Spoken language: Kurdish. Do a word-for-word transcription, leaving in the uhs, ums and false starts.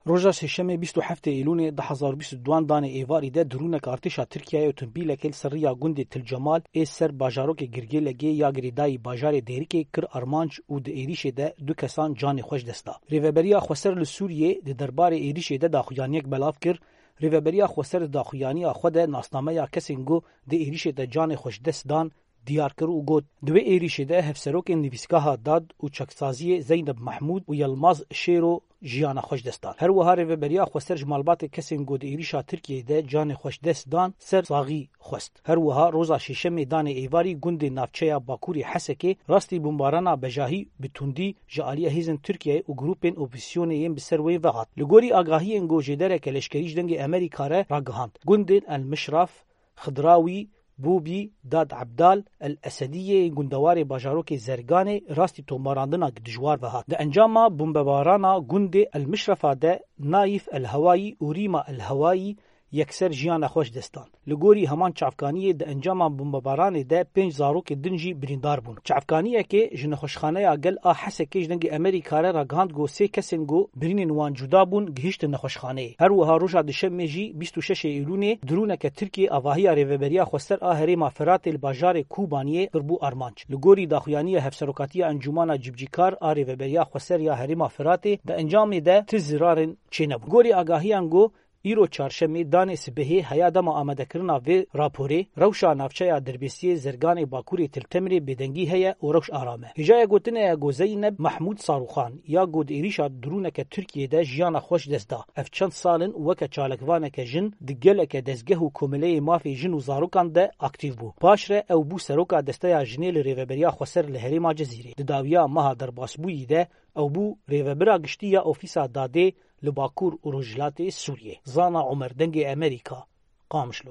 Roja Sêşemê bîst û heftê Îlûnê du hezar û bîst û duan danê êvarî de dirûnek artêşa Tirkiyeyê otombîlekê li ser riya gundê Til Cemal ê ser bajarokê Girgêlegê ya girêdayî bajarê Dêrikê kir armanc û di êrîşê de du kesan canê xwe ji dest da. Rêveberiya Xweser li Sûriyê di derbarê êrîşê de daxuyaniyek belav kir. Rêveberiya Xweser di daxuyaniya xwe de nasnameya kesên ku di êrîşê de canê xwe ji dest dan diyar kir û got, di wê êrîşê de hevserokên nivîsgeha dad û çaksaziyê Zeyneb Mehmûd û Yilmaz Şêro jiyana xwe ji dest dan. Her wiha Rêveberiya Xweser ji malbatê kesên ku di êrîşa Tirkiyeyê de canê xwe ji dest dan ser saxî xwest. Her wiha roza Şêşemê danê êvarî gundê navçeya Bakurê Hesekê rastî bombarana bejahî bi tundî ji aliyê hêzên Tirkiyeyê û grûpên opozîsyonê yên bi ser wê ve hat. Li gorî agahiyên ku jêdereke leşkerî ji Dengê Amerîka re ragihand, gundên El Mişraf, Xidrawî, Bûbî, Dad Ebdal, El Esediyê ên gundewarê bajarokê Zerganê rastî tombarandina dijwar ve hat. Di encama bombebarana gundê El Mişrefa de Nayîf El Hewayî û Rîma El Hewayî yekser jiyana xwe ji dest dan. Li gorî heman çavkaniyê di encama bombebaranê de pênc zarokê din jî birîndar bûn. Çavkaniyekê ji nexweşxaneya gel a Hesekê ji Dengê Amerîka re ragihand ku sê kesên ku birînên wan cuda bûn gihiştin nexweşxaneyê. Her wiha roja Duşemê jî bîst û şeşê Îlûnê dirûneke Tirkiyê avahiya Rêveberiya Xweser a Herêma Firatê li bajarê Kobaniyê kirbû armanc. Li gorî daxuyaniya Hevserokatiya Encûmana Cibcîkar a Rêveberiya Xweser ya Herêma Firatê di encamê de ti zirarên çênebûn. Gorî agahiyan ku îro çarşemê danê sibehê heya dema amadekirina vê raporê, rewşa navçeya Dirbêsiyê Zerganê Bakurê Til Temirê bêdengî heye û rewş aram e. Hêjaya gotinê ye ku Zeyneb Mehmûd Sarûxan ya ku di êrîşa dirûneke Tirkiyê de jiyana xwe ji dest da. Ev çend sal in weke çalakvaneke jin di geleke dezgeh û komeleyê mafê jin û zarokan de aktîf bû. Paşre ew bû seroka desteya jinê li Rêveberiya Xweser li herêma Cezîrê. Di dawiya meha derbasbûyî de ew bû rêvebira giştî ya Ofîsa Dadê li Bakur û Rojhilatê Sûriyê. Zana Omer, Dengê Amerîka, Qamişlo.